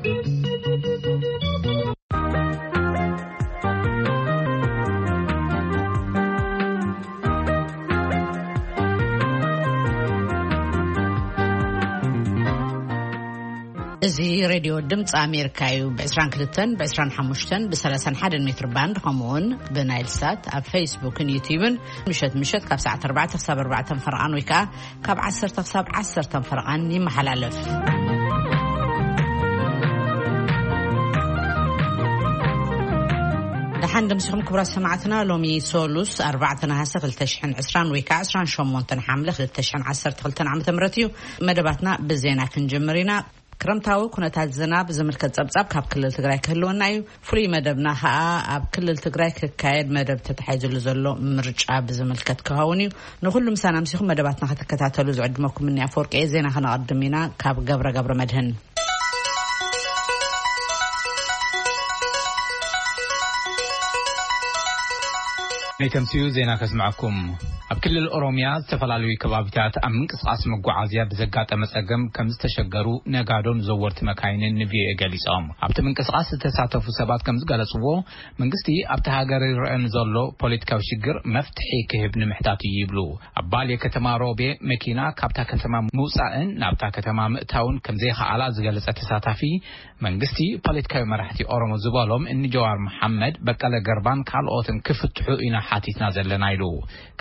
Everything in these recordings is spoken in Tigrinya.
እዚ ሬድዮ ድምፂ ኣሜሪካ እዩ። ብ22፣ ብ25፣ ብ31 ሜትር ባንድ፣ ከምኡውን ብናይል ሳት ኣብ ፌስቡክን ዩቲዩብን ምሸት ምሸት ካብ ሰዓት ኣርባዕተ ክሳብ ኣርባዕተ ፈረቓን ወይ ከዓ ካብ ዓሰርተ ክሳብ ዓሰርተ ፈረቓን ይመሓላለፍ። ደሓን ደምሲኹም ክቡራት ሰማዕትና። ሎሚ ሶሉስ ኣርባዕተ ነሃሰ ክልተ ሽሕን ዕስራን ወይ ከዓ ዕስራን ሸሞንተን ሓምለ ክልተ ሽሕን ዓሰርተ ክልተን ዓመተ ምህረት እዩ። መደባትና ብዜና ክንጅምር ኢና። ክረምታዊ ኩነታት ዝናብ ዝምልከት ጸብጻብ ካብ ክልል ትግራይ ክህልወና እዩ። ፍሉይ መደብና ኸኣ ኣብ ክልል ትግራይ ክካየድ መደብ ተታሒዙሉ ዘሎ ምርጫ ብዝምልከት ክኸውን እዩ። ንኹሉ ምሳና ኣምሲኹም መደባትና ክትከታተሉ ዝዕድመኩም እኒ ኣፈወርቂ እየ። ዜና ከነቐድም ኢና ካብ ገብረ ገብረ መድህን። ናይ ተምሲኡ ዜና ከስምዐኩም። ኣብ ክልል ኦሮምያ ዝተፈላለዩ ከባቢታት ኣብ ምንቅስቓስ መጓዓዝያ ብዘጋጠመ ጸገም ከም ዝተሸገሩ ነጋዶን ዘወርቲ መካይንን ንቪኦኤ ገሊጾም። ኣብቲ ምንቅስቓስ ዝተሳተፉ ሰባት ከም ዝገለጽዎ፣ መንግስቲ ኣብቲ ሃገር ይረአ ንዘሎ ፖለቲካዊ ሽግር መፍትሒ ክህብ ንምሕታት እዩ ይብሉ። ኣብ ባሌ ከተማ ሮቤ መኪና ካብታ ከተማ ምውጻእን ናብታ ከተማ ምእታውን ከም ዘይከኣላ ዝገለጸ ተሳታፊ፣ መንግስቲ ፖለቲካዊ መራሕቲ ኦሮሞ ዝበሎም እኒ ጀዋር መሓመድ፣ በቀለ ገርባን ካልኦትን ክፍትሑ ኢና ሓቲትና ዘለና ኢሉ።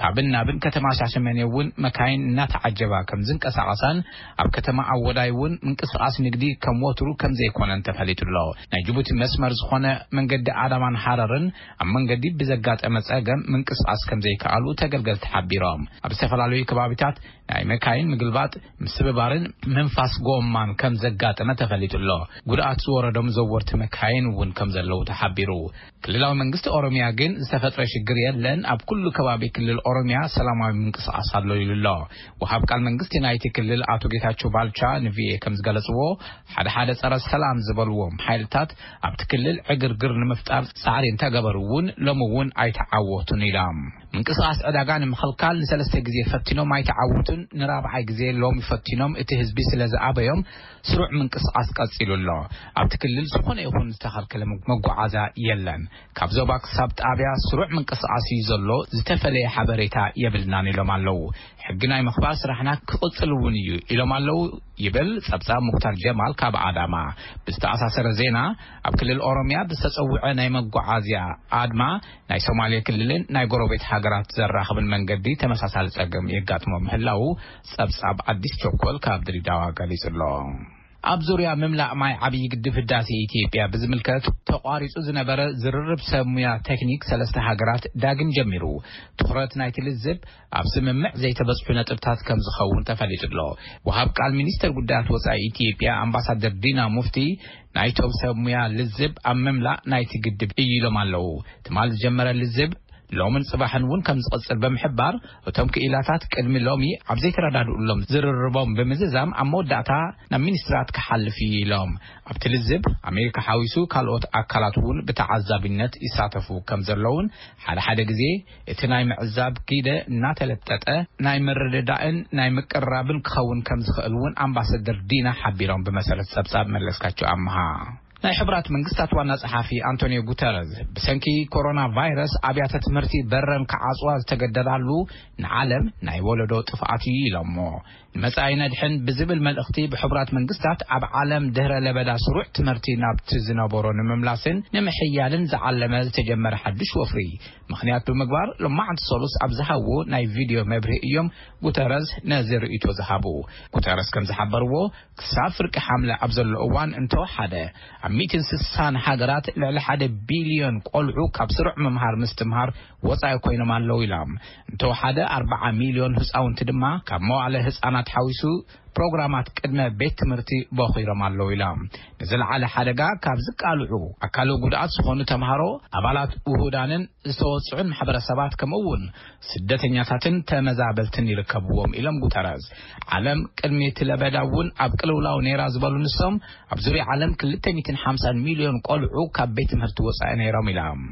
ካብን ናብን ከተማ ሻሸመኔ እውን መካይን እናተዓጀባ ከም ዝንቀሳቐሳን ኣብ ከተማ ኣወዳይ እውን ምንቅስቓስ ንግዲ ከም ወትሩ ከም ዘይኮነን ተፈሊጡ ኣሎ። ናይ ጅቡቲ መስመር ዝኾነ መንገዲ ኣዳማን ሃረርን ኣብ መንገዲ ብዘጋጠመ ጸገም ምንቅስቓስ ከም ዘይከኣሉ ተገልገልቲ ሓቢሮም። ኣብ ዝተፈላለዩ ከባቢታት ናይ መካይን ምግልባጥ፣ ምስብባርን ምንፋስ ጎማን ከም ዘጋጠመ ተፈሊጡ ኣሎ። ጉድኣት ዝወረዶም ዘወርቲ መካይን እውን ከም ዘለዉ ተሓቢሩ። ክልላዊ መንግስቲ ኦሮምያ ግን ዝተፈጥረ ሽግር የለን፣ ኣብ ኩሉ ከባቢ ክልል ኦሮምያ ሰላማዊ ምንቅስቓስ ኣሎ ኢሉ ኣሎ። ወሃብ ቃል መንግስቲ ናይቲ ክልል ኣቶ ጌታቸው ባልቻ ንቪኦኤ ከም ዝገለጽዎ፣ ሓደ ሓደ ጸረ ሰላም ዝበልዎም ሓይልታት ኣብቲ ክልል ዕግርግር ንምፍጣር ጻዕሪ እንተገበሩ እውን ሎሚ እውን ኣይተዓወቱን ኢሎም። ምንቅስቓስ ዕዳጋ ንምኽልካል ንሰለስተ ግዜ ፈቲኖም ኣይተዓወቱን። ንራብዓይ ግዜ ሎሚ ፈቲኖም፣ እቲ ህዝቢ ስለ ዝኣበዮም ስሩዕ ምንቅስቓስ ቀጺሉ ኣሎ። ኣብቲ ክልል ዝኾነ ይኹን ዝተኸልከለ መ-፣ መጓዓዝያ የለን። ካብ ዞባ ክሳብ ጣብያ ስሩዕ ምንቅስቓስ እዩ ዘሎ፣ ዝተፈለየ ሓበሬታ የብልናን ኢሎም ኣለዉ። ሕጊ ናይ ምኽባር ስራሕና ክቕጽል እውን እዩ ኢሎም ኣለዉ ይብል ጸብጻብ ሙክታር ጀማል ካብ ኣዳማ። ብዝተኣሳሰረ ዜና፣ ኣብ ክልል ኦሮምያ ብዝተጸውዐ ናይ መጓዓዝያ ኣድማ ናይ ሶማሌ ክልልን ናይ ጎረቤት ሃገራት ዘራኽብን መንገዲ ተመሳሳሊ ጸገም የጋጥሞ ምህላዉ ጸብጻብ ኣዲስ ቸኮል ካብ ድሬዳዋ ገሊጹ ኣሎ። ኣብ ዙርያ ምምላእ ማይ ዓብዪ ግድብ ህዳሴ ኢትዮጵያ ብዝምልከት ተቋሪጹ ዝነበረ ዝርርብ ሰብ ሙያ ቴክኒክ ሰለስተ ሃገራት ዳግም ጀሚሩ። ትኹረት ናይቲ ልዝብ ኣብ ስምምዕ ዘይተበጽሑ ነጥብታት ከም ዝኸውን ተፈሊጡ ኣሎ። ወሃብ ቃል ሚኒስተር ጉዳያት ወጻኢ ኢትዮጵያ ኣምባሳደር ዲና ሙፍቲ ናይቶም ሰብ ሙያ ልዝብ ኣብ ምምላእ ናይቲ ግድብ እዩ ኢሎም ኣለዉ። ትማል ዝጀመረ ልዝብ ሎምን ጽባሕን እውን ከም ዝቕጽል ብምሕባር፣ እቶም ክኢላታት ቅድሚ ሎሚ ኣብ ዘይተረዳድኡሎም ዝርርቦም ብምዝዛም ኣብ መወዳእታ ናብ ሚኒስትራት ክሓልፍ እዩ ኢሎም። ኣብቲ ልዝብ ኣሜሪካ ሓዊሱ ካልኦት ኣካላት እውን ብተዓዛቢነት ይሳተፉ ከም ዘለውን፣ ሓደ ሓደ ግዜ እቲ ናይ ምዕዛብ ግደ እናተለጠጠ ናይ ምርድዳእን ናይ ምቅርራብን ክኸውን ከም ዝኽእል እውን ኣምባሳደር ዲና ሓቢሮም። ብመሰረት ጸብጻብ መለስካቸው ኣምሃ። ናይ ሕቡራት መንግስታት ዋና ጸሓፊ ኣንቶኒዮ ጉተረዝ፣ ብሰንኪ ኮሮና ቫይረስ ኣብያተ ትምህርቲ በረን ክዓጽዋ ዝተገደዳሉ ንዓለም ናይ ወለዶ ጥፍኣት እዩ ኢሎሞ። ንመጻኢ ነድሕን ብዝብል መልእኽቲ፣ ብሕቡራት መንግስታት ኣብ ዓለም ድህረ ለበዳ ስሩዕ ትምህርቲ ናብቲ ዝነበሮ ንምምላስን ንምሕያልን ዝዓለመ ዝተጀመረ ሓድሽ ወፍሪ ምኽንያት ብምግባር፣ ሎማዕንቲ ሰሉስ ኣብ ዝሃብዎ ናይ ቪድዮ መብርሂ እዮም ጉተረዝ ነዚ ርእይቶ ዝሃቡ። ጉተረዝ ከም ዝሓበርዎ፣ ክሳብ ፍርቂ ሓምለ ኣብ ዘሎ እዋን እንተወሓደ፣ ኣብ ሚእትን ስሳን ሃገራት ልዕሊ ሓደ ቢልዮን ቆልዑ ካብ ስሩዕ ምምሃር ምስትምሃር ወጻኢ ኮይኖም ኣለዉ ኢሎም። እንተወሓደ ኣርባዓ ሚልዮን ህጻውንቲ ድማ ካብ መዋዕለ ህጻናት ሓዊሱ ፕሮግራማት ቅድመ ቤት ትምህርቲ በኺሮም ኣለዉ ኢሎም። ንዝለዓለ ሓደጋ ካብ ዝቃልዑ ኣካለ ጉድኣት ዝኾኑ ተምሃሮ፣ ኣባላት ውሁዳንን ዝተወጽዑን ማሕበረሰባት፣ ከምኡ እውን ስደተኛታትን ተመዛበልትን ይርከብዎም ኢሎም ጉተረዝ። ዓለም ቅድሚ እቲ ለበዳ እውን ኣብ ቅልውላው ነይራ ዝበሉ ንሶም፣ ኣብ ዙርያ ዓለም ክልተ ሚእትን ሓምሳን ሚልዮን ቆልዑ ካብ ቤት ትምህርቲ ወጻኢ ነይሮም ኢሎም።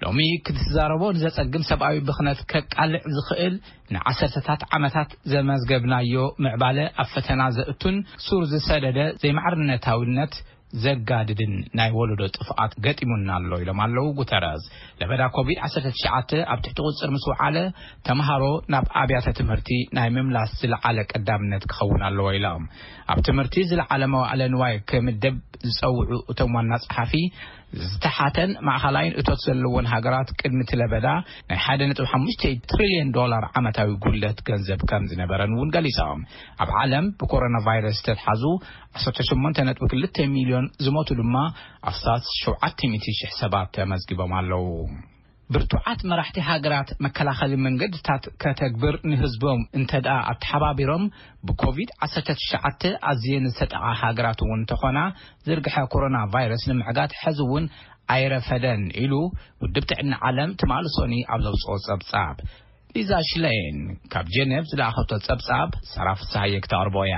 ሎሚ ክትዛረቦ ንዘጸግም ሰብኣዊ ብኽነት ከቃልዕ ዝኽእል ንዓሰርተታት ዓመታት ዘመዝገብናዮ ምዕባለ ኣብ ፈተና ዘእቱን ሱር ዝሰደደ ዘይማዕርነታዊነት ዘጋድድን ናይ ወለዶ ጥፍኣት ገጢሙና ኣሎ ኢሎም ኣለዉ ጉተረዝ። ለበዳ ኮቪድ ዓሰርተ ትሽዓተ ኣብ ትሕቲ ቁፅር ምስ ወዓለ፣ ተምሃሮ ናብ ኣብያተ ትምህርቲ ናይ ምምላስ ዝለዓለ ቀዳምነት ክኸውን ኣለዎ ኢሎም። ኣብ ትምህርቲ ዝለዓለ መዋዕለ ንዋይ ክምደብ ዝፀውዑ እቶም ዋና ፀሓፊ፣ ዝተሓተን ማእኸላይን እቶት ዘለዎን ሃገራት ቅድሚ እቲ ለበዳ ናይ ሓደ ነጥቢ ሓሙሽተ ትሪልዮን ዶላር ዓመታዊ ጉድለት ገንዘብ ከም ዝነበረን እውን ገሊፆም። ኣብ ዓለም ብኮሮና ቫይረስ ዝተትሓዙ ዓሰርተ ሸሞንተ ነጥቢ ክልተ ሚልዮን፣ ዝሞቱ ድማ ኣስታት ሸውዓተ ሚእቲ ሽሕ ሰባት ተመዝጊቦም ኣለዉ። ብርቱዓት መራሕቲ ሃገራት መከላኸሊ መንገድታት ከተግብር ንህዝቦም እንተ ደኣ ኣተሓባቢሮም፣ ብኮቪድ ዓሰርተ ትሽዓተ ኣዝየን ዝተጠቓ ሃገራት እውን እንተኾና፣ ዝርግሐ ኮሮና ቫይረስ ንምዕጋት ሕዚ እውን ኣይረፈደን ኢሉ ውድብ ጥዕና ዓለም ትማሊ ሶኒ ኣብ ዘውፅኦ ጸብጻብ። ሊዛ ሽለይን ካብ ጀኔቭ ዝለኣኸቶ ጸብጻብ ሰራ ፍስሃየ ክተቕርቦ እያ።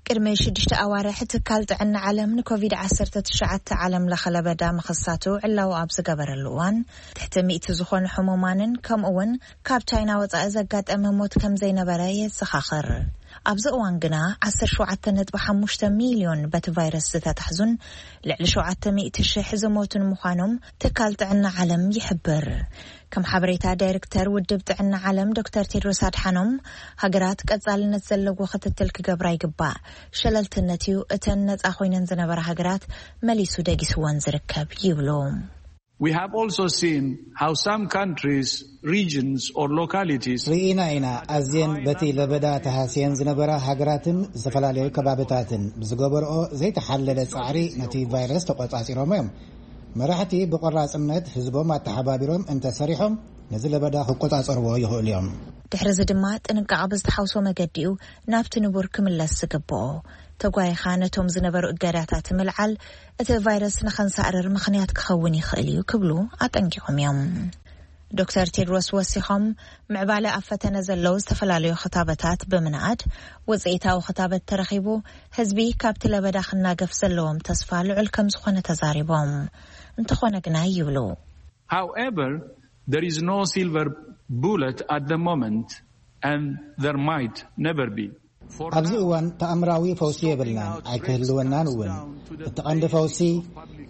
ቅድሚ ሽዱሽተ ኣዋርሕ ትካል ጥዕና ዓለም ንኮቪድ ዓሰርተ ትሽዓተ ዓለም ለኸ ለበዳ ምኽሳቱ ዕላዊ ኣብ ዝገበረሉ እዋን፣ ትሕቲ ሚእቲ ዝኾኑ ሕሙማንን ከምኡ እውን ካብ ቻይና ወጻኢ ዘጋጠመ ሞት ከም ዘይነበረ የዘኻኽር። ኣብዚ እዋን ግና ዓሰርተ ሸውዓተ ነጥቢ ሓሙሽተ ሚልዮን በቲ ቫይረስ ዝተታሕዙን ልዕሊ ሸውዓተ ሚእቲ ሽሕ ዝሞቱን ምዃኖም ትካል ጥዕና ዓለም ይሕብር። ከም ሓበሬታ ዳይሬክተር ውድብ ጥዕና ዓለም ዶክተር ቴድሮስ ኣድሓኖም፣ ሃገራት ቀጻልነት ዘለዎ ክትትል ክገብራ ይግባእ። ሸለልትነት እዩ እተን ነጻ ኮይነን ዝነበራ ሃገራት መሊሱ ደጊስወን ዝርከብ ይብሉ። We have also seen how some countries, regions or localities ርኢና ኢና። ኣዝየን በቲ ለበዳ ተሃስየን ዝነበራ ሃገራትን ዝተፈላለዩ ከባብታትን ብዝገበርኦ ዘይተሓለለ ጻዕሪ ነቲ ቫይረስ ተቆጻጺሮም እዮም። መራሕቲ ብቆራጽነት ህዝቦም ኣተሓባቢሮም እንተሰሪሖም ነዚ ለበዳ ክቆጻጸርዎ ይኽእሉ እዮም። ድሕሪ እዚ ድማ ጥንቃቐ ብዝተሓውሶ መገዲ እዩ ናብቲ ንቡር ክምለስ ዝግብኦ። ተጓይኻ ነቶም ዝነበሩ እገዳታት ምልዓል እቲ ቫይረስ ንኸንሳእርር ምኽንያት ክኸውን ይኽእል እዩ ክብሉ ኣጠንቂቖም እዮም። ዶክተር ቴድሮስ ወሲኾም፣ ምዕባለ ኣብ ፈተነ ዘለዉ ዝተፈላለዩ ክታበታት ብምንኣድ፣ ውፅኢታዊ ክታበት ተረኺቡ ህዝቢ ካብቲ ለበዳ ክናገፍ ዘለዎም ተስፋ ልዑል ከም ዝኾነ ተዛሪቦም። እንተኾነ ግና ይብሉ። However, there is no silver bullet at the moment, and there might never be. ኣብዚ እዋን ተኣምራዊ ፈውሲ የብልናን ኣይክህልወናን እውን። እቲ ቀንዲ ፈውሲ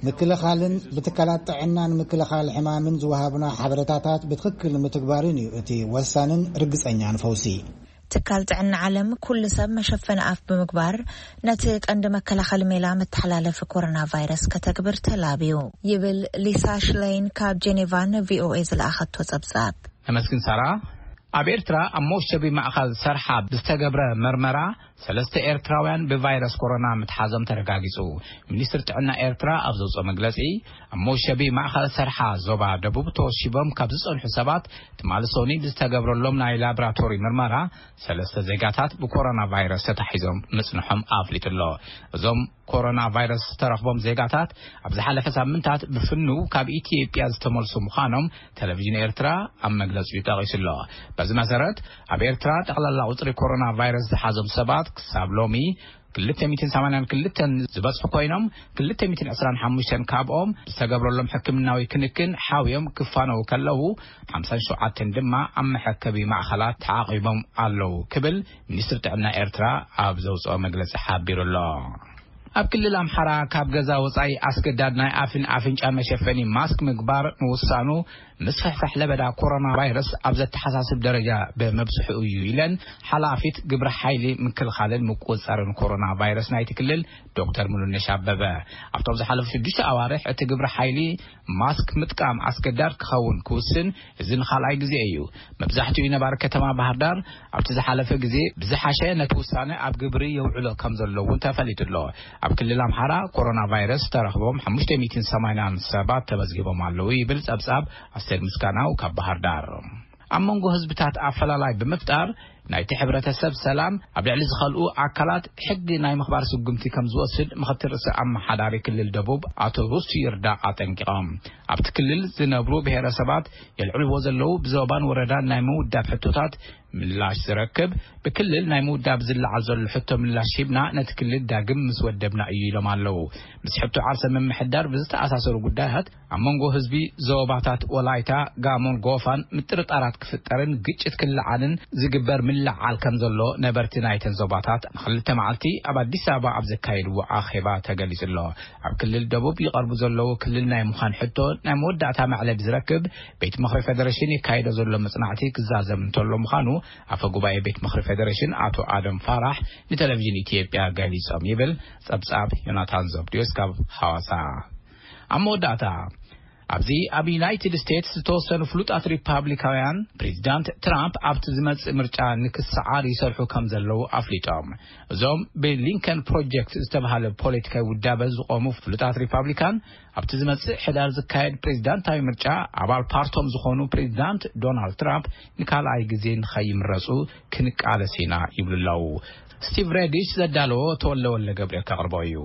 ምክልኻልን ብትካላት ጥዕናን ምክልኻል ሕማምን ዝወሃቡና ሓበሬታታት ብትኽክል ምትግባርን እዩ እቲ ወሳንን ርግጸኛን ፈውሲ። ትካል ጥዕና ዓለም ኩሉ ሰብ መሸፈኒ ኣፍ ብምግባር ነቲ ቀንዲ መከላኸሊ ሜላ መተሓላለፊ ኮሮና ቫይረስ ከተግብር ተላብዩ ይብል ሊሳ ሽለይን ካብ ጀኔቫ ንቪኦኤ ዝለኣኸቶ ጸብጻብ። ነመስግን ሳራ። ኣብ ኤርትራ ኣብ መወሸቢ ማእኸል ሰርሓ ብዝተገብረ መርመራ ሰለስተ ኤርትራውያን ብቫይረስ ኮሮና ምትሓዞም ተረጋጊጹ። ሚኒስትር ጥዕና ኤርትራ ኣብ ዘውፅኦ መግለጺ፣ ኣብ መወሸቢ ማእኸል ሰርሓ ዞባ ደቡብ ተወሺቦም ካብ ዝጸንሑ ሰባት ትማሊ ሶኒ ብዝተገብረሎም ናይ ላብራቶሪ ምርመራ ሰለስተ ዜጋታት ብኮሮና ቫይረስ ተታሒዞም ምጽንሖም ኣፍሊጡ ኣሎ። እዞም ኮሮና ቫይረስ ዝተረኽቦም ዜጋታት ኣብ ዝሓለፈ ሳምንታት ብፍንው ካብ ኢትዮጵያ ዝተመልሱ ምዃኖም ቴሌቪዥን ኤርትራ ኣብ መግለጺኡ ጠቒሱ ኣሎ። በዚ መሰረት ኣብ ኤርትራ ጠቕላላ ቁጽሪ ኮሮና ቫይረስ ዝሓዞም ሰባት ክሳብ ሎሚ ክልተ ሚእትን ሰማንያን ክልተን ዝበጽሑ ኮይኖም ክልተ ሚእትን ዕስራን ሓሙሽተን ካብኦም ዝተገብረሎም ሕክምናዊ ክንክን ሓውዮም ክፋነው ከለዉ ሓምሳን ሸውዓተን ድማ ኣብ መሐከቢ ማእኸላት ተዓቒቦም ኣለዉ ክብል ሚኒስትር ጥዕና ኤርትራ ኣብ ዘውፅኦ መግለፂ ሓቢሩ ኣሎ። ኣብ ክልል ኣምሓራ ካብ ገዛ ወፃኢ ኣስገዳድ ናይ ኣፍን ኣፍንጫን መሸፈኒ ማስክ ምግባር ምውሳኑ ምስፍሕፋሕ ለበዳ ኮሮና ቫይረስ ኣብ ዘተሓሳስብ ደረጃ ብምብፅሑ እዩ ኢለን ሓላፊት ግብረ ሓይሊ ምክልኻልን ምቁፅፃርን ኮሮና ቫይረስ ናይቲ ክልል ዶክተር ሙሉነሽ ኣበበ። ኣብቶም ዝሓለፉ ሽዱሽተ ኣዋርሕ እቲ ግብረ ሓይሊ ማስክ ምጥቃም ኣስገዳድ ክኸውን ክውስን እዚ ንኻልኣይ ግዜ እዩ። መብዛሕትኡ ነባሪ ከተማ ባህር ዳር ኣብቲ ዝሓለፈ ግዜ ብዝሓሸ ነቲ ውሳነ ኣብ ግብሪ የውዕሎ ከም ዘሎ እውን ተፈሊጡ ኣሎ። ኣብ ክልል ኣምሓራ ኮሮና ቫይረስ ተረኽቦም ሓሙሽተ ሚእትን ሰማንያን ሰባት ተመዝጊቦም ኣለዉ ይብል ጸብጻብ ኣስቴር ምስጋናው ካብ ባህር ዳር። ኣብ መንጎ ህዝብታት ኣፈላላይ ብምፍጣር ናይቲ ሕብረተሰብ ሰላም ኣብ ልዕሊ ዝኸልኡ ኣካላት ሕጊ ናይ ምኽባር ስጉምቲ ከም ዝወስድ ምኽትል ርእሰ ኣመሓዳሪ ክልል ደቡብ ኣቶ ሩስቱ ይርዳእ ኣጠንቂቖም። ኣብቲ ክልል ዝነብሩ ብሄረሰባት የልዕልዎ ዘለዉ ብዞባን ወረዳን ናይ ምውዳብ ሕቶታት ምላሽ ዝረክብ ብክልል ናይ ምውዳብ ዝለዓል ዘሎ ሕቶ ምላሽ ሂብና ነቲ ክልል ዳግም ምስ ወደብና እዩ ኢሎም ኣለዉ። ምስ ሕቶ ዓርሰ ምምሕዳር ብዝተኣሳሰሩ ጉዳያት ኣብ መንጎ ህዝቢ ዞባታት ወላይታ፣ ጋሞን ጎፋን ምጥርጣራት ክፍጠርን ግጭት ክለዓልን ዝግበር ይለዓል ከም ዘሎ ነበርቲ ናይተን ዞባታት ንክልተ መዓልቲ ኣብ ኣዲስ ኣበባ ኣብ ዘካየድዎ ኣኼባ ተገሊጹ ኣሎ። ኣብ ክልል ደቡብ ይቐርቡ ዘለዉ ክልል ናይ ምዃን ሕቶ ናይ መወዳእታ መዕለቢ ዝረክብ ቤት ምኽሪ ፌደሬሽን የካይዶ ዘሎ መጽናዕቲ ክዛዘም እንተሎ ምዃኑ ኣፈ ጉባኤ ቤት ምኽሪ ፌደሬሽን ኣቶ ኣደም ፋራሕ ንቴሌቪዥን ኢትዮጵያ ገሊጾም ይብል ጸብጻብ ዮናታን ዘብድዮስ ካብ ሐዋሳ። ኣብ መወዳእታ ኣብዚ ኣብ ዩናይትድ ስቴትስ ዝተወሰኑ ፍሉጣት ሪፓብሊካውያን ፕሬዚዳንት ትራምፕ ኣብቲ ዝመጽእ ምርጫ ንክሰዓር ይሰርሑ ከም ዘለዉ ኣፍሊጦም። እዞም ብሊንከን ፕሮጀክት ዝተባሃለ ፖለቲካዊ ውዳበ ዝቆሙ ፍሉጣት ሪፓብሊካን ኣብቲ ዝመጽእ ሕዳር ዝካየድ ፕሬዚዳንታዊ ምርጫ ኣባል ፓርቶም ዝኾኑ ፕሬዚዳንት ዶናልድ ትራምፕ ንካልኣይ ግዜ ንኸይምረጹ ክንቃለስ ኢና ይብሉ ኣለዉ። ስቲቭ ሬዲሽ ዘዳለዎ ተወለ ወለ ገብርኤል ከቕርቦ እዩ።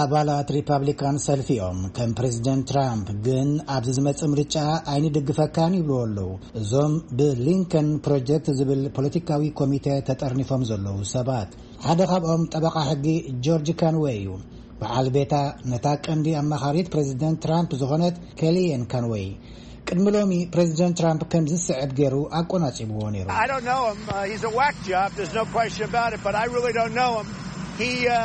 ኣባላት ሪፓብሊካን ሰልፊኦም ከም ፕሬዚደንት ትራምፕ ግን ኣብዚ ዝመጽእ ምርጫ ኣይንድግፈካን ይብልዎ ኣለዉ። እዞም ብሊንከን ፕሮጀክት ዝብል ፖለቲካዊ ኮሚቴ ተጠርኒፎም ዘለዉ ሰባት ሓደ ካብኦም ጠበቓ ሕጊ ጆርጅ ካንወይ እዩ። በዓል ቤታ ነታ ቀንዲ ኣማኻሪት ፕሬዚደንት ትራምፕ ዝኾነት ኬሊየን ካንወይ ቅድሚ ሎሚ ፕሬዚደንት ትራምፕ ከም ዝስዕብ ገይሩ ኣቆናጺብዎ ነይሩ። I don't know him. Uh, he's a whack job. There's no question about it, but I really don't know him. He, uh,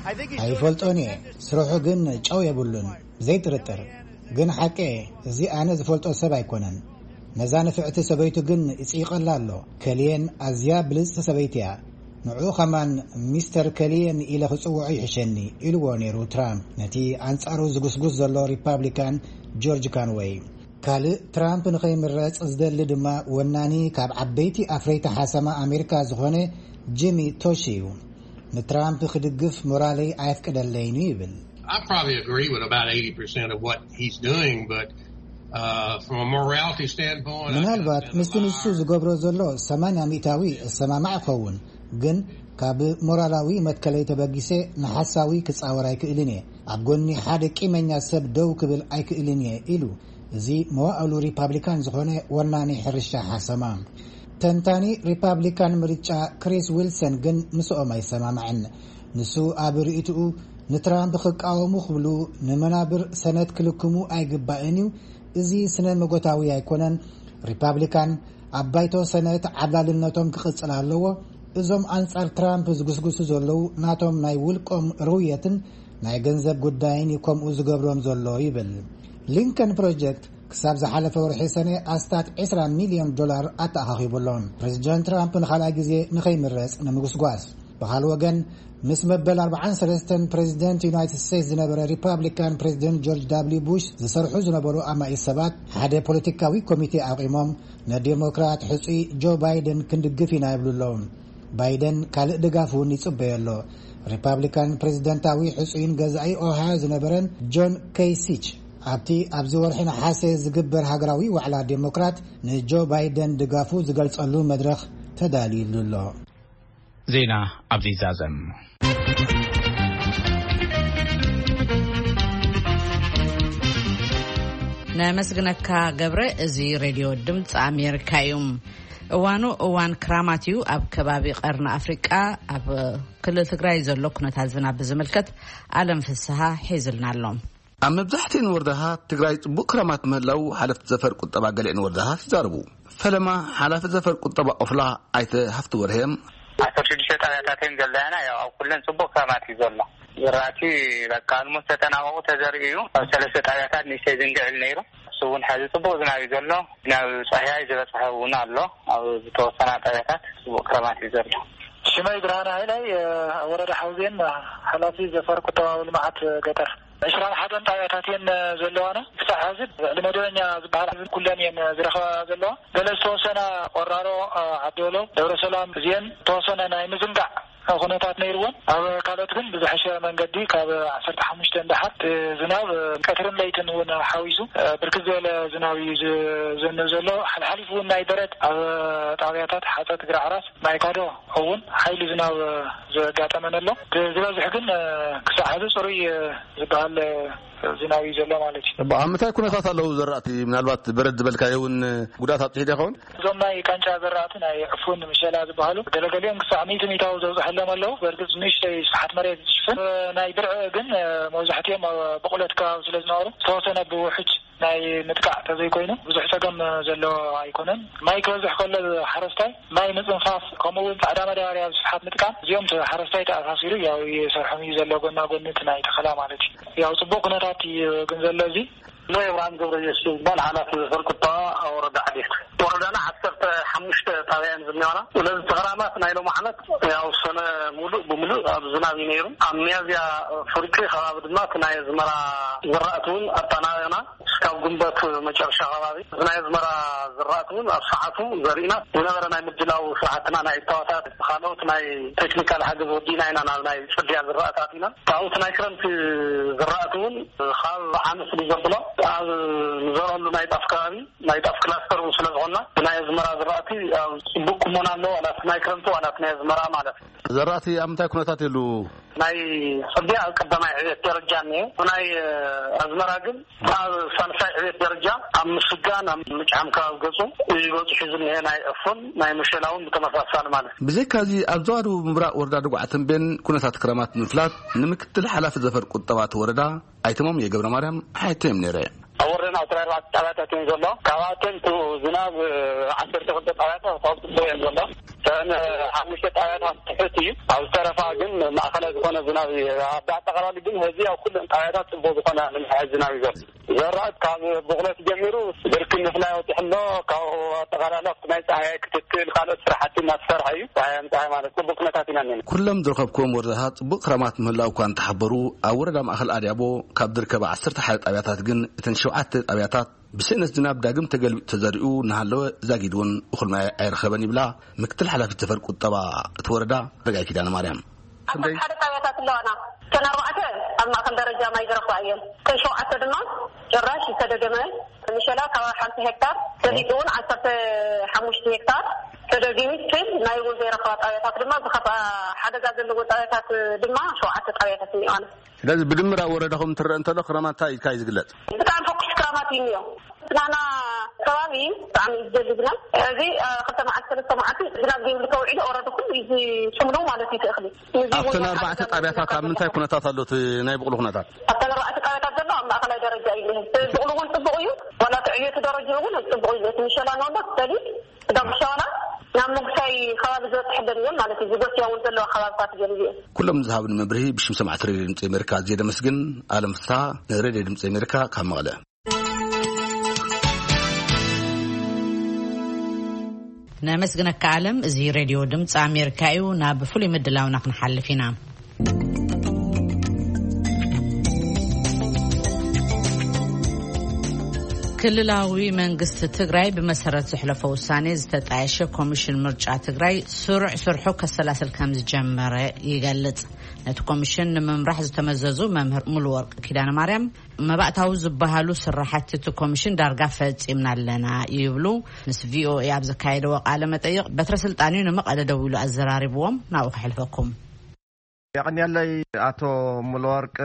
I think he's sort of ኣይፈልጦን እየ። ስርሑ ግን ጨው የብሉን። ዘይጥርጥር ግን ሓቂ እየ። እዚ ኣነ ዝፈልጦ ሰብ ኣይኮነን። ነዛ ንፍዕቲ ሰበይቱ ግን ይጽይቐላ ኣሎ። ከልየን ኣዝያ ብልጽቲ ሰበይቲ እያ። ንዕኡ ኸማን ሚስተር ከልየን ኢለ ክጽውዖ ይሕሸኒ ኢልዎ ነይሩ ትራምፕ ነቲ ኣንጻሩ ዝጉስጉስ ዘሎ ሪፓብሊካን ጆርጅ ካንወይ። ካልእ ትራምፕ ንኸይምረጽ ዝደሊ ድማ ወናኒ ካብ ዓበይቲ ኣፍረይቲ ሓሰማ ኣሜሪካ ዝኾነ ጂሚ ቶሺ እዩ። ንትራምፕ ክድግፍ ሞራለይ ኣየፍቅደለይን እዩ ይብል። I probably agree with about eighty percent of what he's doing, but uh, from a morality standpoint, I can ምናልባት understand ምስቲ the ንሱ lie. ዝገብሮ ዘሎ ሰማንያ ሚእታዊ እሰማማዕ እኸውን፣ ግን ካብ ሞራላዊ መትከለይ ተበጊሰ ንሓሳዊ ክጻወር ኣይክእልን እየ። ኣብ ጎኒ ሓደ ቂመኛ ሰብ ደው ክብል ኣይክእልን እየ ኢሉ። እዚ መዋእሉ ሪፓብሊካን ዝኾነ ወናኒ ሕርሻ ሓሰማ ተንታኒ ሪፓብሊካን ምርጫ ክሪስ ዊልሰን ግን ምስኦም ኣይሰማማዕን። ንሱ ኣብ ርእይትኡ ንትራምፕ ክቃወሙ ክብሉ ንመናብር ሰነት ክልክሙ ኣይግባእን እዩ። እዚ ስነ መጎታዊ ኣይኮነን። ሪፓብሊካን ኣብ ባይቶ ሰነት ዓብላልነቶም ክቕጽል ኣለዎ። እዞም ኣንጻር ትራምፕ ዝጉስጉሱ ዘለዉ ናቶም ናይ ውልቆም ርውየትን ናይ ገንዘብ ጉዳይን እዩ ከምኡ ዝገብሮም ዘሎ ይብል። ሊንከን ፕሮጀክት ክሳብ ዝሓለፈ ወርሒ ሰነ ኣስታት ዕስራ ሚልዮን ዶላር ኣተኣኻኺቡ ኣሎ። ፕሬዚደንት ትራምፕ ንኻልኣይ ግዜ ንኸይምረጽ ንምጉስጓስ። ብኻልእ ወገን ምስ መበል ኣርባዓን ሰለስተን ፕሬዚደንት ዩናይትድ ስቴትስ ዝነበረ ሪፓብሊካን ፕሬዚደንት ጆርጅ ዳብሊው ቡሽ ዝሰርሑ ዝነበሩ ኣማኢት ሰባት ሓደ ፖለቲካዊ ኮሚቴ ኣቂሞም ንዴሞክራት ሕጹይ ጆ ባይደን ክንድግፍ ኢና ይብሉ ኣለዉ። ባይደን ካልእ ድጋፍ እውን ይጽበዮ ኣሎ። ሪፓብሊካን ፕሬዚደንታዊ ሕጹይን ገዛኢ ኦሃዮ ዝነበረን ጆን ኬሲች ኣብቲ ኣብዚ ወርሒ ነሓሰ ዝግበር ሃገራዊ ዋዕላ ዴሞክራት ንጆ ባይደን ድጋፉ ዝገልጸሉ መድረኽ ተዳልዩሉ ኣሎ። ዜና ኣብዚ ዛዘም። ነመስግነካ ገብረ። እዚ ሬድዮ ድምፂ ኣሜሪካ እዩ። እዋኑ እዋን ክራማት እዩ። ኣብ ከባቢ ቀርኒ ኣፍሪቃ ኣብ ክልል ትግራይ ዘሎ ኩነታት ዝናብ ብዝምልከት ኣለም ፍስሃ ሒዝልና ኣሎ። ኣብ መብዛሕትኤን ወረዳታት ትግራይ ጽቡቕ ክራማት ምህላው ሓለፍቲ ዘፈር ቁጠባ ገሊአን ወረዳታት ይዛረቡ። ፈለማ ሓላፊ ዘፈር ቁጠባ ኦፍላ ኣይተ ሃፍቲ ወርሄም። ዓሰርተ ሽዱሽተ ጣብያታት እየን ዘለያና። ያው ኣብ ኩለን ጽቡቕ ክራማት እዩ ዘሎ። ዝራእቲ በቃ ኣልሞስት ተጠናቐቑ ተዘሪኡ እዩ። ኣብ ሰለስተ ጣብያታት ንእሽተይ ዝንግዕል ነይሩ። እሱ እውን ሕዚ ጽቡቕ ዝናብ እዩ ዘሎ። ናብ ጻህያይ ዝበጽሐ እውን ኣሎ። ኣብ ዝተወሰና ጣብያታት ጽቡቕ ክራማት እዩ ዘሎ። ሽመይ ብርሃነ ሃይላይ፣ ወረዳ ሓውዜን፣ ሓላፊ ዘፈር ቁጠባዊ ልምዓት ገጠር። ዕስራን ሓደን ጣብያታት እየን ዘለዋና። ክሳዕ ሕዚ ልዕሊ መደበኛ ዝበሃል ኩለን እየን ዝረኸባ ዘለዋ። ገለ ዝተወሰና ቆራሮ፣ ዓዲ ወሎ፣ ደብረ ሰላም እዚአን ዝተወሰነ ናይ ምዝንጋዕ ኩነታት ነይርወን። ኣብ ካልኦት ግን ብዝሐሸ መንገዲ ካብ ዓሰርተ ሓሙሽተ ንደሓር እቲ ዝናብ ቀትርን ለይትን እውን ሓዊሱ ብርክት ዝበለ ዝናብ እዩ ዝዘንብ ዘሎ። ሓልሓሊፉ እውን ናይ በረድ ኣብ ጣብያታት ሓፀት፣ ግራ ዓራስ፣ ማይ ካዶ እውን ሓይሊ ዝናብ ዘጋጠመን ኣሎ። እቲ ዝበዝሕ ግን ክሳዕ ሕዚ ፅሩይ ዝበሃል ዝናብ እዩ ዘሎ ማለት እዩ። እባ ኣብ ምንታይ ኩነታት ኣለዉ ዘራእቲ? ምናልባት በረድ ዝበልካዮ እውን ጉድኣት ኣብፅሑ ዶ ይኸውን? እዞም ናይ ቃንጫ ዘራእቲ፣ ናይ ዕፉን፣ ምሸላ ዝበሃሉ ገለገሊኦም ክሳዕ ሚእቲ ሚእታዊ ዘብፅሐሎም ኣለዉ። በእርግፅ ንእሽተይ ስፍሓት መሬት ዝሽፍን ናይ ብርዒ ግን መብዛሕትኦም ኣብ ብቑለት ከባቢ ስለ ዝነበሩ ዝተወሰነ ብውሕጅ ናይ ምጥቃዕ ተዘይኮይኑ ብዙሕ ጸገም ዘለዎ ኣይኮነን። ማይ ክበዝሕ ከሎ ሓረስታይ ማይ ምጽንፋፍ፣ ከምኡ እውን ጻዕዳ መዳበርያ ብስፍሓት ምጥቃም፣ እዚኦም ሓረስታይ ተኣሳሲሩ ያው ይሰርሖም እዩ ዘሎ፣ ጎና ጎኒ እቲ ናይ ተኸላ ማለት እዩ። ያው ጽቡቕ ኩነታት እዩ ግን ዘሎ። እዚ ሎይ ኣብርሃም ገብረየሱስ ዝበሃል ሓላፊ ዘፈር ቁጠባ ኣብ ወረዳ ዓዴት። ወረዳና ዓሰርተ ሓሙሽተ ጣብያ እየን ዝኒዋና። ስለዚ እቲ ክራማት ናይ ሎሚ ዓመት ያው ሰነ ሙሉእ ብምሉእ ኣብ ዝናብ እዩ ነይሩ። ኣብ ሚያዝያ ፍርቂ ከባቢ ድማ እቲ ናይ ኣዝመራ ዝራእቲ እውን ኣጠናቂቕና። እስካብ ግንቦት መጨረሻ ከባቢ እዚ ናይ ኣዝመራ ዝራእቲ እውን ኣብ ሰዓቱ ዘሪእና። ዝነበረ ናይ ምድላው ስራሕትና፣ ናይ እታወታት፣ ካልኦት ናይ ቴክኒካል ሓገዝ ወዲእና ኢና ናብ ናይ ጽድያ ዝራእቲ ኣቲና። ካብኡ እቲ ናይ ክረምቲ ዝራእቲ እውን ካብ ዓመት ስለ ዘብሎ ኣብ ንዘርአሉ ናይ ጣፍ ከባቢ ናይ ጣፍ ክላስተር እውን ስለ ዝኾንና ብናይ ኣዝመራ ዝራእቲ ኣብ ጽቡቅ ቁመና ኣሎ። ዋላ እቲ ናይ ክረምቲ ዋላ እቲ ናይ ኣዝመራ ማለት እዩ። ዘራእቲ ኣብ ምንታይ ኩነታት የሉ? ናይ ጽድያ ኣብ ቀዳማይ ዕቤት ደረጃ እኒሄ። ናይ ኣዝመራ ግን ኣብ ሳልሳይ ዕቤት ደረጃ ኣብ ምስጋን ኣብ ምጭዓም ከባቢ ገጹ እዩ ገጹ ሒዙ እኒሄ። ናይ ዕፉን ናይ መሸላ እውን ብተመሳሳሊ ማለት እዩ። ብዘይካዚ ኣብ ዞባ ደቡብ ምብራቕ ወረዳ ደጉዓ ተንቤን ኩነታት ክረማት ንምፍላጥ ንምክትል ሓላፊ ዘፈር ቁጠባ እቲ ወረዳ ኣይተ ማሙየ ገብረ ማርያም ሓቲተዮም ነይረ። ኣብ ወረዳና ዕስራ ኣርባዕተ ጣብያታት እዮም ዘሎ። ካብኣተን እቲ ዝናብ ዓሰርተ ክልተ ጣብያታት ካብ ጽቡቕ እዮም ዘሎ። እተን ሓሙሽተ ጣብያታት ትሑት እዩ። ኣብ ዝተረፋ ግን ማእኸላይ ዝኾነ ዝናብ እዩ። ኣብ ኣጠቓላሊ ግን ህዚ ኣብ ኩለን ጣብያታት ጽቡቕ ዝኾነ ምምሕያሽ ዝናብ እዩ ዘሎ። ዘራእቲ ካብ ብቑለት ጀሚሩ ብርኪ ምፍላይ ወፂሑ ኣሎ። ካብኡ ኣጠቓላሊ ኣብቲ ናይ ፀሃይ ክትትል ካልኦት ስራሕቲ እናተሰርሐ እዩ። ፀሃይ ምፀሃይ ማለት ጽቡቅ ኩነታት ኢና እኒና። ኩሎም ዝረኸብኩዎም ወረዳታት ጽቡቅ ክረማት ምህላው እኳ እንተሓበሩ፣ ኣብ ወረዳ ማእኸል ኣድያቦ ካብ ዝርከባ ዓሰርተ ሓደ ጣብያታት ግን እተን ሸውዓተ ጣብያታት ብስእነት ዝናብ ዳግም ተገልቢጡ ተዘሪኡ እናሃለወ ዛጊድ እውን እኹል ማይ ኣይረኸበን ይብላ ምክትል ሓላፊት ዘፈር ቁጠባ እቲ ወረዳ ረጋይ ኪዳነ ማርያም። ኣብ ክንደይ? ሓደ ጣብያታት ኣለዋና። እተን ኣርባዕተ ኣብ ማእከል ደረጃ ማይ ዝረኽባ እየን። እተን ሸውዓተ ድማ ጭራሽ ዝተደገመ። ምሸላ ካብ ሓንቲ ሄክታር ሰሊጥ እውን ዓሰርተ ሓሙሽተ ሄክታር ተደጊሙ፣ ስቲል ማይ እውን ዘይረኽባ ጣብያታት ድማ፣ ዝኸፍኣ ሓደጋ ዘለዎ ጣብያታት ድማ ሸውዓተ ጣብያታት እኒኦና። ስለዚ ብድምር ኣብ ወረዳኹም እንትረአ እንተሎ ክረማት እንታይ ኢልካ እዩ ዝግለጽ? ብጣዕሚ ፈኩስ ክራማት እዩ እኒኦ። ናና ከባቢ ብጣዕሚ እዩ ዝደሊ ዝናብ። እዚ፣ እ፣ ክልተ መዓልቲ፣ ሰለስተ መዓልቲ ዝናብ ዘይብሉ ተውዒሉ ኦረዲ ኩሉ እዩ ዝስምሉ ማለት እዩ እቲ እኽሊ። እዚ ኣብተን እውን ኣርባዕተ ሓደጋ ጣብያታት ኣብ ምንታይ ኩነታት ኣሎ እቲ ናይ ብቕሉ ኩነታት? ኣብተን ኣርባዕተ ጣብያታት ዘሎ ኣብ ማእኸላይ ደረጃ እዩ ዝኒሀ። ብቕሉ እውን ጽቡቕ እዩ። ዋላ እቲ ዕብየቱ ደረጃ እውን ጽቡቕ እዩ። እቲ ምሸላ ንወሎ ሰሊጥ ዳጉሻ ዋላ ናብ ምጉሳይ ከባቢ ዝበፅሐለን እየን ማለት እዩ። ዝጎስያ እውን ዘለዋ ከባብታት ገሊኡ እየን። ኩሎም ዝሃብኒ መብርሂ ብሽም ሰማዕቲ ሬድዮ ድምፂ ኣሜሪካ ኣዝየ ደመስግን። ኣለም ፍስሃ ንሬድዮ ድምፂ ኣሜሪካ ካብ መቐለ። ነመስግነካ ኣለም። እዚ ሬድዮ ድምፂ ኣሜሪካ እዩ። ናብ ፍሉይ ምድላውና ክንሓልፍ ኢና። ክልላዊ መንግስቲ ትግራይ ብመሰረት ዘሕለፎ ውሳኔ ዝተጣየሸ ኮሚሽን ምርጫ ትግራይ ስሩዕ ስርሑ ከሰላስል ከም ዝጀመረ ይገልጽ። ነቲ ኮሚሽን ንምምራሕ ዝተመዘዙ መምህር ሙሉወርቅ ኪዳነ ማርያም፣ መባእታዊ ዝበሃሉ ስራሕቲ እቲ ኮሚሽን ዳርጋ ፈጺምና ኣለና ይብሉ። ምስ ቪኦኤ ኣብ ዘካየደዎ ቃለ መጠይቕ፣ በትረ ስልጣን'ዩ ንመቐለ ደዊሉ ኣዘራሪብዎም። ናብኡ ከሕልፈኩም። የቐንየለይ ኣቶ ሙሉወርቅ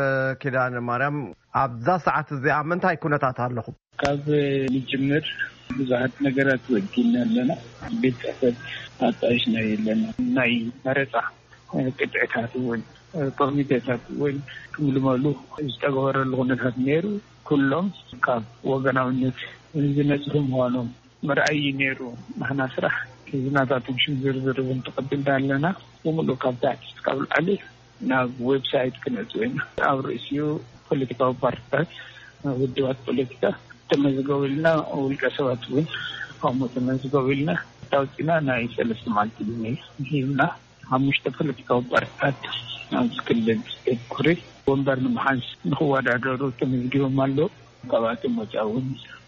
ኪዳነ ማርያም፣ ኣብዛ ሰዓት እዚኣ ምንታይ ኩነታት ኣለኹም? ካብ ንጅምር ብዙሓት ነገራት ወዲና ኣለና። ቤት ጽሕፈት ኣጣይሽና የለና። ናይ መረጻ ቅጥዕታት እውን፣ ኮሚቴታት እውን ክምልመሉ ዝተገበረሉ ኩነታት ነይሩ። ኩሎም ካብ ወገናውነት ዝነጽሁ ምዃኖም ምርኣይ እዩ ነይሩ። ንሕና ስራሕ እዚ ናታቶም ሽም ዝርዝር እውን ተቐቢልና ኣለና። ብምሉእ ካብ ታሕቲ እስካብ ላዕሊ ናብ ዌብሳይት ክነእትዎ ኢና። ኣብ ርእሲኡ ፖለቲካዊ ፓርቲታት፣ ውድባት ፖለቲካ ተመዝገቡ ኢልና፣ ውልቀ ሰባት እውን ከምኡ ተመዝገቡ ኢልና ኣውፂና ናይ ሰለስተ መዓልቲ ግዜ ሂብና። ሓሙሽተ ፖለቲካዊ ፓርቲታት ኣብዚ ክልል ኩሪ ወንበር ንምሓዝ ንክወዳደሩ ተመዝጊቦም ኣለዉ። ካብኣቶም ወፃኢ እውን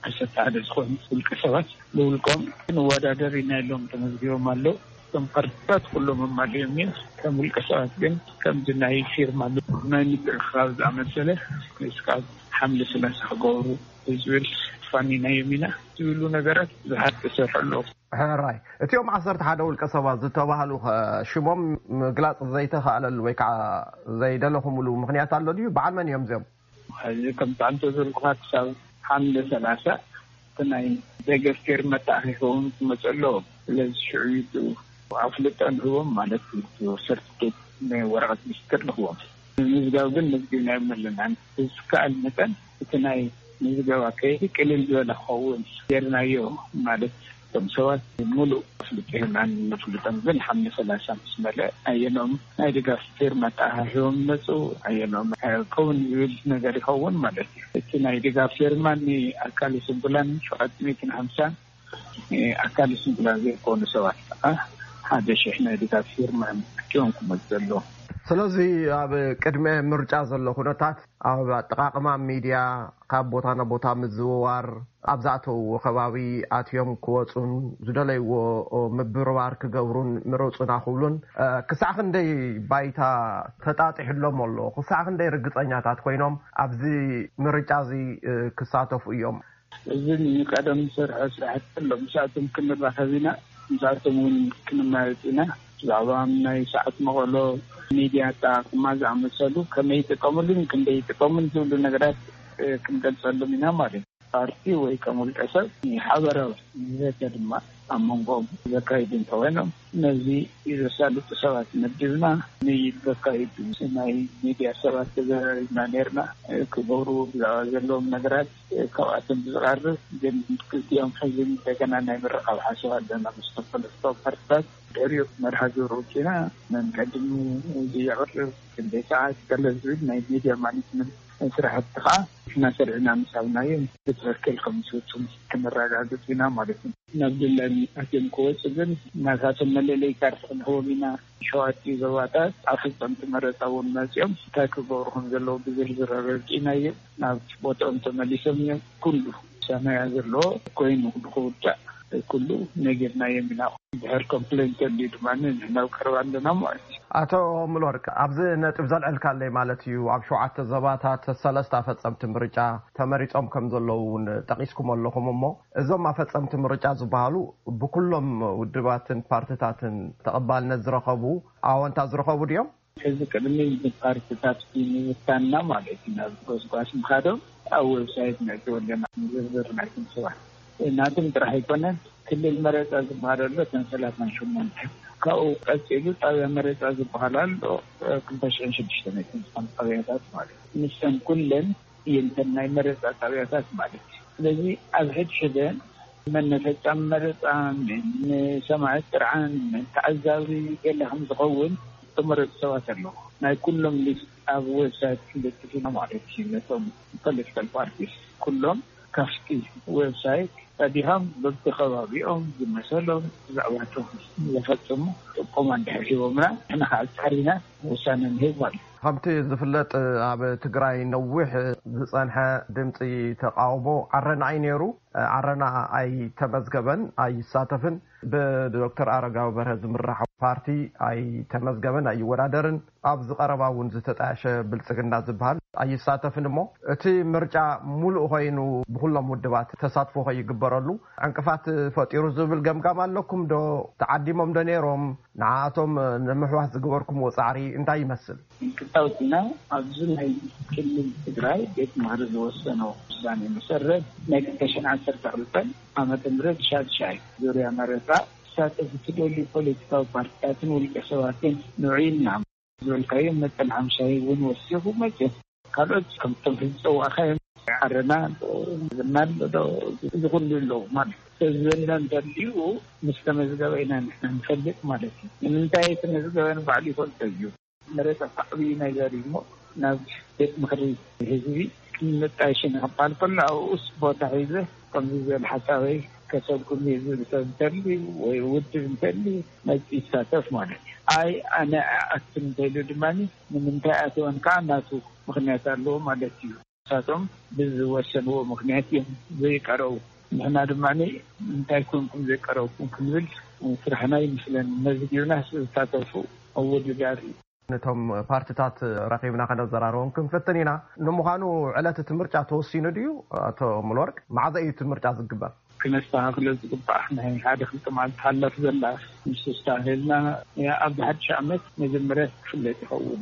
ዓሰርተ ሓደ ዝኾኑ ውልቀ ሰባት ብውልቆም ንወዳደር ኢና ኢሎም ተመዝጊቦም ኣለዉ። እቶም ፓርቲታት ኩሎም ኣማሊኦም እዮም። ከም ውልቀ ሰባት ግን ከምዚ ናይ ፊርማ ናይ ምትእኽኻብ ዝኣመሰለ እስካብ ሓምለ ሰላሳ ክገብሩ ዝብል ፋኒናዮም ኢና ዝብሉ ነገራት ብዙሓት ተሰርሑ ኣለዉ። ሕራይ፣ እቲኦም ዓሰርተ ሓደ ውልቀ ሰባት ዝተባህሉ ኸ ሽሞም ምግላጽ ዘይተኻእለሉ ወይ ከዓ ዘይደለኹምሉ ምኽንያት ኣሎ ድዩ? በዓል መን እዮም እዚኦም? ሕዚ ከም ጣንቶ ዘልኩኻ ክሳብ ሓምለ ሰላሳ እቲ ናይ ደገፍ ፊርማ ተኣኺቦም ክመፁ ኣለዎም። ስለዚ ሽዑ እዩ እቲ ኣፍልጦ ንህቦም ማለት እዩ። እቲ ሰርቲፊኬት ናይ ወረቐት ምስክር ንህቦም። ምዝጋብ ግን መዝጊብናዮም ኣለና። ብዝከኣል መጠን እቲ ናይ ምዝገባ ከይዲ ቅልል ዝበለ ክኸውን ጌርናዮ። ማለት እቶም ሰባት ሙሉእ ኣፍልጦ ሂብና ነፍልጦም፣ ግን ሓምለ ሰላሳ ምስ መለእ ኣየኖም ናይ ድጋፍ ፊርማ ተኣሃሂቦም ይመፁ፣ ኣየኖም ከውን ዝብል ነገር ይኸውን ማለት እዩ። እቲ ናይ ድጋፍ ፊርማ ንኣካል ስንኩላን ሸውዓተ ሚእትን ሓምሳን ኣካል ስንኩላን ዘይኮኑ ሰባት ከዓ ሓደ ሽሕ ናይ ድጋፍ ፊርማ እዮም ኣኪቦም ክመፁ ዘለዎም። ስለዚ ኣብ ቅድመ ምርጫ ዘሎ ኩነታት ኣብ ኣጠቓቕማ ሚድያ ካብ ቦታ ናብ ቦታ ምዝውዋር፣ ኣብ ዝኣተውዎ ከባቢ ኣትዮም ክወፁን ዝደለይዎ ምብርባር ክገብሩን ምረፁና ክብሉን ክሳዕ ክንደይ ባይታ ተጣጢሕሎም ኣሎ? ክሳዕ ክንደይ ርግፀኛታት ኮይኖም ኣብዚ ምርጫ እዚ ክሳተፉ እዮም? እዚ ንቀደም ዝሰርሖ ስራሕቲ ኣሎ። ምስኣቶም ክንራኸብ ኢና፣ ምስኣቶም እውን ክንመያየጥ ኢና። ብዛዕባ ናይ ሰዓት መቐሎ፣ ሚድያ ኣጠቓቕማ ዝኣመሰሉ ከመይ ይጥቀምሉን ክንደይ ይጥቀሙን ዝብሉ ነገራት ክንገልጸሎም ኢና ማለት እዩ። ፓርቲ ወይ ከም ውልቀ ሰብ ሓበራዊ ዘተ ድማ ኣብ መንጎኦም ዘካይዱ እንተኾይኖም፣ ነዚ ዘሳልጡ ሰባት መዲብና ንዘካይዱ ናይ ሚድያ ሰባት ተዘራሪብና ነርና። ክገብሩ ብዛዕባ ዘለዎም ነገራት ካብኣቶም ብዝቐርብ ግን ክልቲኦም ሕዚ እንደገና ናይ ምርኻብ ሓሳብ ኣለና ምስ ተፈለጥቶ ፓርትታት። ድሕሪኡ መርሃ ግብሪ ውፅና መን ቀድሙ እዚ የቕርብ፣ ክንደይ ሰዓት፣ ገለ ዝብል ናይ ሚድያ ማኔጅመንት ስራሕቲ ከዓ ንሕና ሰሪዕና ምስ ሃብናዮም ብትኽክል ከም ዝፍፅሙ ክነረጋግፅ ኢና ማለት እዩ። ናብ ድላሚ ኣትዮም ክወፁ ግን ናታቶም መለለይ ካርድ ክንህቦም ኢና። ሸውዓተ ዞባታት ኣፈፀምቲ መረፃ እውን መፂኦም እንታይ ክገብሩ ከም ዘለዉ ብዝርዝር ኣረዲእናዮም። ናብ ቦትኦም ተመሊሶም እዮም። ኩሉ ውሳነ ዘለዎ ኮይኑ ንክውዳእ ኩሉ ነጊርናዮም ኢና። ድሕር ኮምፕሌን ተልዩ ድማ ናብ ቀረባ ኣለና ማለት እዩ። ኣቶ ሙሉወርቅ፣ ኣብዚ ነጥብ ዘልዐልካለይ ማለት እዩ፣ ኣብ ሸውዓተ ዞባታት ሰለስተ ኣፈፀምቲ ምርጫ ተመሪፆም ከም ዘለዉ እውን ጠቂስኩም ኣለኹም። እሞ እዞም ኣፈፀምቲ ምርጫ ዝበሃሉ ብኩሎም ውድባትን ፓርትታትን ተቐባልነት ዝረኸቡ፣ ኣወንታ ዝረኸቡ ድዮም? ሕዚ ቅድሚ ንፓርትታት ምብታንና ማለት እዩ ናብ ጎስጓስ ምኻዶም ኣብ ዌብሳይት ነእትወለና ዝርዝር ናይቶም ሰባት ናቶም ጥራሕ ኣይኮነን። ክልል መረፃ ዝበሃል ኣሎ እተን ሰላሳን ሸሞንተ፣ ካብኡ ቀፂሉ ጣብያ መረፃ ዝበሃል ኣሎ ክልተ ሽሕን ሽዱሽተ መእትን ዝኾኑ ጣብያታት ማለት እዩ። ንሰን ኩለን እየንተን ናይ መረፃ ጣብያታት ማለት እዩ። ስለዚ ኣብ ሕድሕደን መን ፈጻሚ መረፃ፣ መን ሰማዒ ጥርዓን፣ መን ተዓዛቢ ገለ ከም ዝኸውን ዝተመረፁ ሰባት ኣለዉ። ናይ ኩሎም ሊስት ኣብ ዌብሳይት ክንልጥፍ ኢና ማለት እዩ። ነቶም ፖለቲካል ፓርቲስ ኩሎም ካብቲ ዌብሳይት ቀዲሖም በብከባቢኦም ዝመሰሎም ብዛዕባቶም ዘፈፅሙ ጥቆማ እንድሕር ሂቦምና ንሕና ከዓ ፃሪና ውሳነ ንህብ ማለት እዩ። ከምቲ ዝፍለጥ ኣብ ትግራይ ነዊሕ ዝፀንሐ ድምፂ ተቃውሞ ዓረና እዩ ነይሩ። ዓረና ኣይተመዝገበን፣ ኣይሳተፍን። ብዶክተር ኣረጋዊ በርሀ ዝምራሕ ፓርቲ ኣይተመዝገበን፣ ኣይወዳደርን። ኣብዚ ቀረባ እውን ዝተጣየሸ ብልፅግና ዝበሃል ኣይሳተፍን። እሞ እቲ ምርጫ ሙሉእ ኮይኑ ብኩሎም ውድባት ተሳትፎ ከይግበረሉ ዕንቅፋት ፈጢሩ ዝብል ገምጋም ኣለኩም ዶ? ተዓዲሞም ዶ ነይሮም? ንዓኣቶም ንምሕዋስ ዝገበርኩምዎ ፃዕሪ እንታይ ይመስል? እንክታውትና ኣብዚ ናይ ክልል ትግራይ ቤት ምኽሪ ዝወሰኖ ውሳኔ መሰረት ናይ ክልተ ሽሕን ዓሰርተ ክልተን ዓመተ ምህረት ሻድሻይ ዙርያ መረፃ ክሳተፉ ዝደልዩ ፖለቲካዊ ፓርቲታትን ውልቀ ሰባትን ንዑ ኢልና ዝበልካዮ መጠን ሓምሻይ እውን ወሲኹ መፅኡ። ካልኦት ከምቶም ሕዚ ፀዋእካዮም ዓረና ዶ ዝናል ዶ እዚ ኩሉ ኣለዉ ማለት ሰብ ዝበልና እንተልዩ ምስ ተመዝገበ ኢና ንሕና ንፈልጥ ማለት እዩ። ንምንታይ ተመዝገበ ንባዕሉ ይፈልጦ እዩ። መረፃ እኮ ዓብዪ ነገር እዩ እሞ ናብ ቤት ምኽሪ ህዝቢ ክንመጣየሽ ኢና ክበሃል ከሎ ኣብኡስ ቦታ ሒዘ ከምዚ ዝበለ ሓሳበይ ከሰጉም እየ ዝብል ሰብ እንተልዩ ወይ ውድብ እንተልዩ መፂ ይሳተፍ ማለት እዩ። ኣይ ኣነ ኣይኣቱን እንተኢሉ ድማ ንምንታይ ኣትወን ከዓ ናቱ ምኽንያት ኣለዎ ማለት እዩ። ንሳቶም ብዝወሰንዎ ምኽንያት እዮም ዘይቀረቡ። ንሕና ድማ እንታይ ኮንኩም ዘይቀረብኩም ክንብል ስራሕና ይመስለኒ። መዝጊብና ዝሳተፉ ኣወዳዳሪ ነቶም ፓርትታት ረኺብና ከነዘራርቦም ክንፍትን ኢና። ንምዃኑ ዕለት እቲ ምርጫ ተወሲኑ ድዩ? ኣቶ ሙሉወርቅ፣ መዓዘ እዩ እቲ ምርጫ ዝግበር? ክነስተኻኽሎ ዝግባእ ናይ ሓደ ክልተ መዓልቲ ሓላፍ ዘላ ምስ ኣስተኻኺልና ኣብ ሓድሽ ዓመት መጀመርያ ክፍለጥ ይኸውን።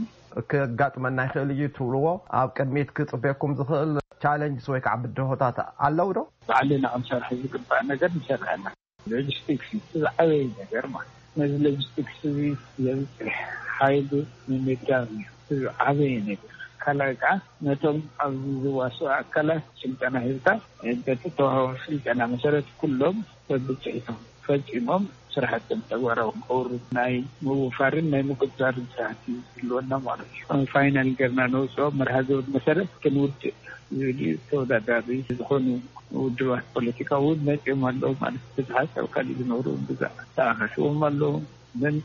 ከጋጥመና ይኽእል እዩ ትብልዎ ኣብ ቅድሚት ክፅበየኩም ዝኽእል ቻለንጅስ ወይ ከዓ ብድሆታት ኣለዉ ዶ? ባዕልና ክንሰርሖ ዝግባእ ነገር ንሰርሕ ኣለና። ሎጂስቲክስ እዚ ዝዓበየ ነገር ማለት ነዚ ሎጂስቲክስ እዚ የብፅሕ ሓይሉ ምምዳብ እዩ። እዚ ዓበየ ነገር ካልኣይ ከዓ ነቶም ኣብዚ ዝዋስኡ ኣካላት ስልጠና ሂብካ፣ በቲ ተዋህቦ ስልጠና መሰረት ኩሎም በብፅሒቶም ፈፂሞም ስራሕቶም ተግባራዊ ክገብሩ ናይ ምውፋርን ናይ ምቁፅፃርን ስራሕቲ ዝህልወና ማለት እዩ። ፋይናል ገርና ነውፅኦ መርሃ ግብር መሰረት ክንውድእ ዝብል እዩ። ተወዳዳሪ ዝኾኑ ውድባት ፖለቲካ እውን መፂኦም ኣለዉ ማለት እዩ። ብዝሓት ኣብ ካልእ ዝነብሩ እውን ብዛዕ ተኣኻኺቦም ኣለዉ። ግን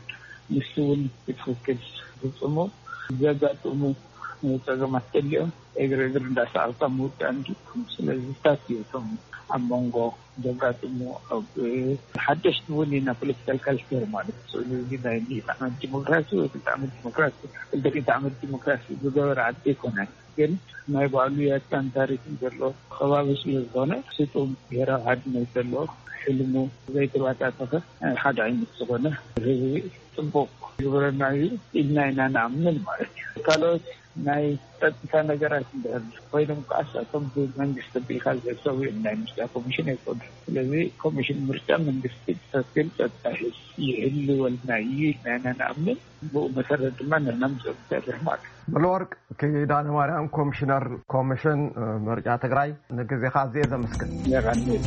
ንሱ እውን ብትኽክል ዝፍፅሙ ዘጋጥሙ ጸገማት ገሊኦም እግሪ እግሪ እንዳሰኣልካ ምውዳእ እንዲ። ስለዚ ስታት እዩ እቶም ኣብ መንጎ ዘጋጥሙ ኣብ ሓደሽቲ እውን ኢና ፖለቲካል ካልቸር ማለት እዩ። ስለዚ ናይ ሚእቲ ዓመት ዲሞክራሲ ወይ ክልተ ዓመት ዲሞክራሲ፣ ክልተ ሚእቲ ዓመት ዲሞክራሲ ዝገበረ ዓዲ ኣይኮነን። ግን ናይ ባዕሉ ያታን ታሪኽን ዘሎ ከባቢ ስለ ዝኾነ ስጡም ብሄራዊ ሓድነት ዘለዎ ሕልሙ ዘይተባታተኸ ሓደ ዓይነት ዝኾነ ህዝቢ ጽቡቕ ግብረና እዩ ኢልና ኢና ንኣምን ማለት እዩ። ካልኦት ናይ ጸጥታ ነገራት እንድሕር ኮይኖም ከኣ ንሳቶም ብመንግስቲ ኣቢልካ ዝሕሰቡ እዮም። ናይ ምርጫ ኮሚሽን ኣይኮኑን። ስለዚ ኮሚሽን ምርጫ መንግስቲ ብትኽክል ጸጥታ ይሕስ-፣ ይህልወልና እዩ ኢልና ኢና ንኣምን። ብኡ መሰረት ድማ ንሕና ምስኦም ንሰርሕ ማለት እዩ። ሙሉወርቅ ኪዳነ ማርያም፣ ኮሚሽነር ኮሚሽን ምርጫ ትግራይ፣ ንግዜኻ ኣዝየ ዘመስግን። የቐንየለይ።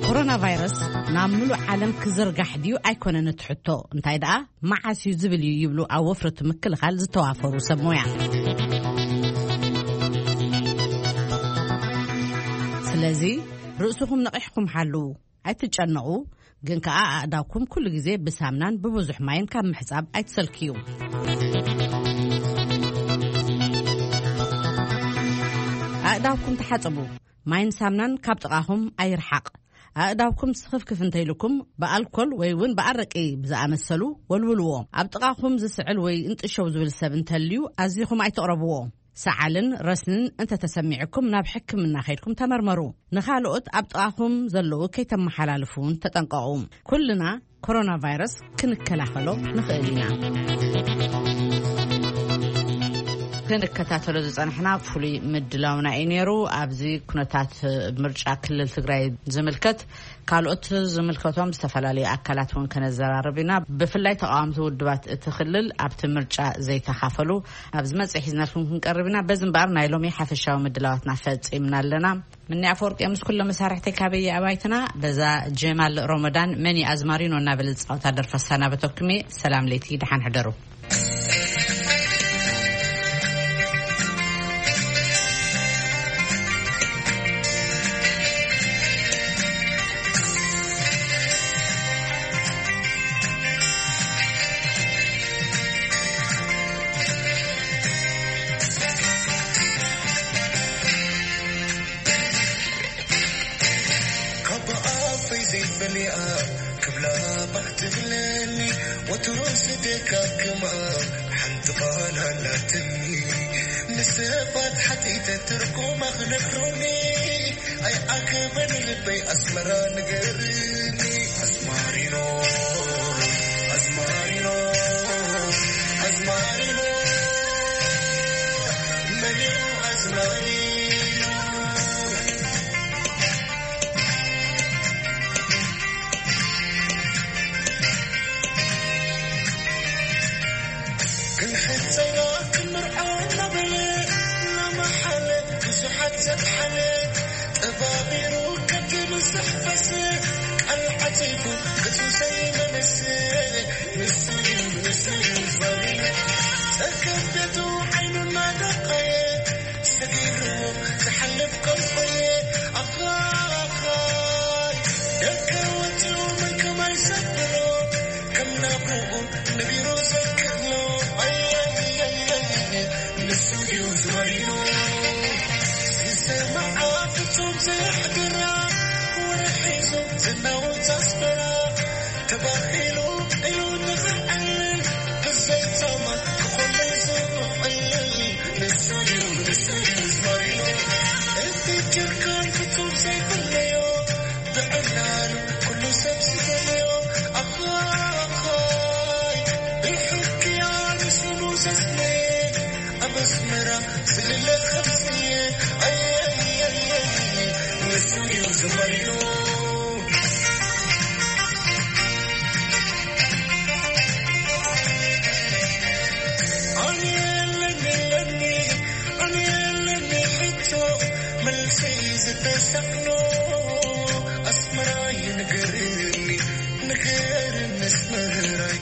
ኮሮና ቫይረስ ናብ ምሉእ ዓለም ክዝርጋሕ ድዩ ኣይኮነን እቲ ሕቶ፣ እንታይ ደኣ መዓስ እዩ ዝብል እዩ ይብሉ ኣብ ወፍሪ እቲ ምክልኻል ዝተዋፈሩ ሰብ ሞያ። ስለዚ ርእስኹም ነቒሕኩም ሓልዉ፣ ኣይትጨነቑ፣ ግን ከኣ ኣእዳውኩም ኩሉ ግዜ ብሳምናን ብብዙሕ ማይን ካብ ምሕጻብ ኣይትሰልክዩ። ኣእዳውኩም ተሓጸቡ፣ ማይን ሳምናን ካብ ጥቓኹም ኣይርሓቕ። ኣእዳውኩም ስኽፍክፍ እንተኢልኩም ብኣልኮል ወይ እውን ብኣረቂ ብዝኣመሰሉ ወልውልዎ። ኣብ ጥቓኹም ዝስዕል ወይ እንጥሸው ዝብል ሰብ እንተልዩ ኣዚኹም ኣይትቕረብዎ። ሰዓልን ረስንን እንተተሰሚዕኩም ናብ ሕክምና ከይድኩም ተመርመሩ። ንኻልኦት ኣብ ጥቓኹም ዘለዉ ከይተመሓላልፉ እውን ተጠንቀቑ። ኩልና ኮሮና ቫይረስ ክንከላኸሎ ንኽእል ኢና። ክንከታተሎ ዝጸናሕና ፍሉይ ምድላውና እዩ ነይሩ። ኣብዚ ኩነታት ምርጫ ክልል ትግራይ ዝምልከት ካልኦት ዝምልከቶም ዝተፈላለዩ ኣካላት እውን ከነዘራርብ ኢና። ብፍላይ ተቃወምቲ ውድባት እቲ ክልል ኣብቲ ምርጫ ዘይተኻፈሉ ኣብ ዝመጽእ ሒዝናልኩም ክንቀርብ ኢና። በዚ እምበኣር ናይ ሎሚ ሓፈሻዊ ምድላዋትና ፈጺምና ኣለና። ምኒ ኣፈወርቂ ምስ ኩሎም መሳርሕተይ ካበየ ኣባይትና በዛ ጀማል ሮመዳን መን እዩ ኣዝማሪኖ እናበለ ዝጻወታ ደርፈ ሰናበተኩም እየ። ሰላም ለይቲ፣ ደሓን ሕደሩ። ካብ ኣፈይ ዘይፈልያ ክብላ ባህ ትብለኒ፣ ወትሩ ዝደጋግማ ሓንቲ ቃል ኣላትኒ። ንሰባት ሓቲተ ትርጉማ ክነግሩኒ፣ ኣይዓገበን ልበይ ኣስመራ ንገርኒ። ኣዝማሪኖ፣ ኣዝማሪኖ፣ ኣዝማሪኖ፣ ኣዝማሪኖ፣ መን እዩ ኣዝማሪኖ? ክንሕጸና ክንምርዖ እናበለ እናመሓለ ብዙሓት ዘጥሓለ፣ ጠባቢሩ ከብቲ ብዙሕ ፈስ ቃል ዓቲቡ ገጹ ዘይመልስ። ንሱ እዩ፣ ንሱ እዩ ዝበለ ጸገም ቤቱ ዓይኑ እናደቀየ ሰጊርዎ ዝሓልፍ ቆልቆየ። ኣኻይ ደገ ወጺኡ መን ከማይ ዘብሎ፣ ከም ናብርኡ ነቢሩ ዘክእሎ። ኣያያያያይ ንሱ እዩ ዝበይኑ ዝሰማዓ ፍጹም ዘሕድራ፣ ወርሒ ሒዙ ዝናወት ኣስመራ ተባሂሉ እዩ ንኽዕልል፣ ብዘይታማ ክኾነ ዝውዕል። ንሱ እዩ፣ ንሱ እዩ ዝበይኑ እቲ ጀርካን ፍጹም ዘይፍለዮ፣ ብዕላሉ ኩሉ ሰብ ዝደለዮ። ኣኻይ ብሕክያ ንስሙ ዘስነየ፣ ኣብ ኣስመራ ዝልለ ከምስየ። ኣየየየየ ንሱ እዩ ዝበይኑ። Sangno